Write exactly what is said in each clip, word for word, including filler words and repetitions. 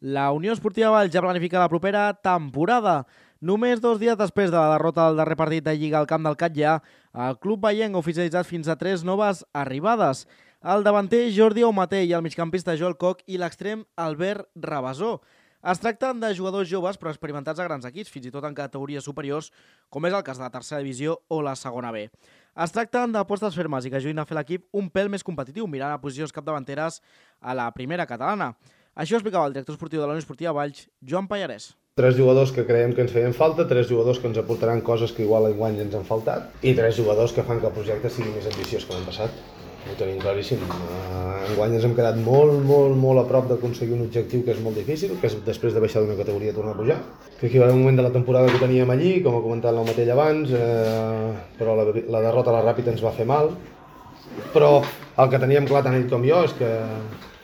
La Unió Esportiva Valls ja planifica la propera temporada. Només dos dies després de la derrota del darrer partit de Lliga al camp del Catllà, el club vallenc ha oficialitzat fins a tres noves arribades. El davanter Jordi Aumaté i el migcampista Joel Koch i l'extrem Albert Rabasó. Es tracten de jugadors joves però experimentats a grans equips, fins i tot en categories superiors, com és el cas de la tercera divisió o la segona B. Es tracten d'apostes fermes i que ajudin a fer l'equip un pèl més competitiu, mirant a posicions capdavanteres a la primera catalana. Això explicava el director esportiu de la Unió Esportiva Valls, Joan Pallarès. Tres jugadors que creiem que ens feien falta, tres jugadors que ens aportaran coses que igual enguany ens han faltat i tres jugadors que fan que el projecte sigui més ambiciós que l'any passat. Ho tenim claríssim. Enguany ens hem quedat molt, molt, molt a prop d'aconseguir un objectiu que és molt difícil, que és després de baixar d'una categoria tornar a pujar. Que aquí va haver un moment de la temporada que teníem allí, com ha comentat l'Aumatell abans, eh, però la, la derrota a la Ràpita ens va fer mal. Però el que teníem clar tant ell com jo és que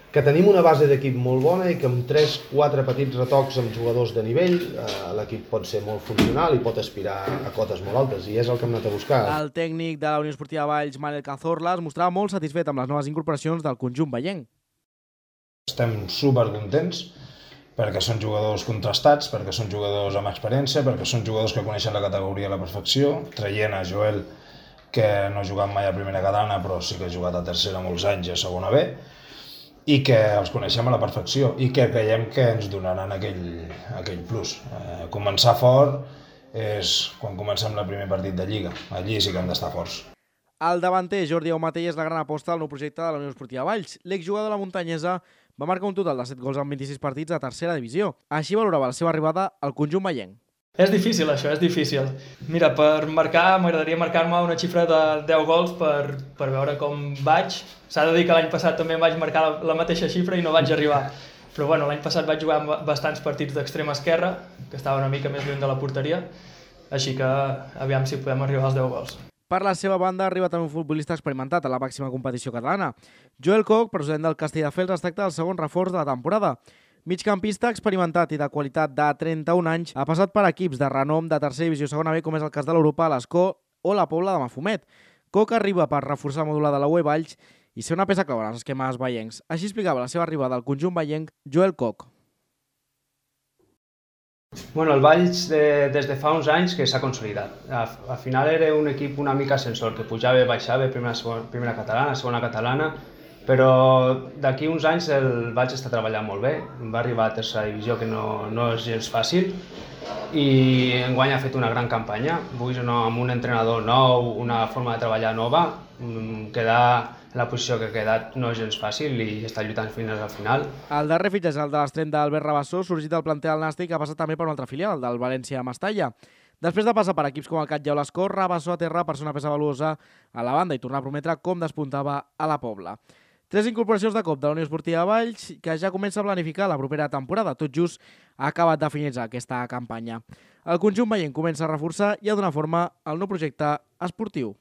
que tenim una base d'equip molt bona i que amb tres quatre petits retocs amb jugadors de nivell eh, l'equip pot ser molt funcional i pot aspirar a cotes molt altes, i és el que hem anat a buscar. El tècnic de la Unió Esportiva Valls, Manel Cazorla, es mostrava molt satisfet amb les noves incorporacions del conjunt vallenc. Estem supercontents perquè són jugadors contrastats, perquè són jugadors amb experiència, perquè són jugadors que coneixen la categoria a la perfecció, traient a Joel, que no ha jugat mai a primera catalana però sí que ha jugat a tercera molts anys i a segona B, i que els coneixem a la perfecció i que creiem que ens donaran aquell, aquell plus. Eh, començar fort és quan comencem el primer partit de Lliga. Allí sí que hem d'estar forts. El davanter Jordi Aumaté és la gran aposta del nou projecte de la Unió Esportiva Valls. L'exjugador de la muntanyesa va marcar un total de set gols en vint-i-sis partits a tercera divisió. Així valorava la seva arribada al conjunt vallenc. És difícil, això, és difícil. Mira, per marcar, m'agradaria marcar-me una xifra de deu gols per, per veure com vaig. S'ha de dir que l'any passat també em vaig marcar la, la mateixa xifra i no vaig arribar. Però bueno, l'any passat vaig jugar amb bastants partits d'extrema esquerra, que estava una mica més lluny de la porteria, així que aviam si podem arribar als deu gols. Per la seva banda, arriba també un futbolista experimentat a la màxima competició catalana. Joel Koch, procedent del Castelldefels, es tracta del segon reforç de la temporada. Migcampista experimentat i de qualitat de trenta-un anys, ha passat per equips de renom de tercera divisió segona B, com és el cas de l'Europa, l'Escó o la Pobla de Mafumet. Koch arriba per reforçar el mòdul de la U E Valls i ser una peça clau en els esquemes vallencs. Així explicava la seva arribada al conjunt vallenc Joel Koch. Bueno, el Valls de, des de fa uns anys que s'ha consolidat. Al final era un equip una mica ascensor, que pujava i baixava, primera, segona, primera catalana, segona catalana, però d'aquí uns anys el Valls està treballant molt bé, va arribar a tercera divisió, que no, no és gens fàcil, i enguany ha fet una gran campanya. Avui no, amb un entrenador nou, una forma de treballar nova, quedar en la posició que ha quedat no és gens fàcil i està lluitant fins al final. El darrer fitxatge, el de l'extrem d'Albert Rabasó, sorgit del planter del Nàstic, ha passat també per una altra filial, el del València Mestalla. Després de passar per equips com el Catllà o l'Escó, Rabasó aterra per ser una peça valuosa a la banda i tornar a prometre com despuntava a la Pobla. Tres incorporacions de cop de la Unió Esportiva Valls que ja comença a planificar la propera temporada. Tot just ha acabat de finalitzar aquesta campanya. El conjunt vallenc comença a reforçar i a donar forma al nou projecte esportiu.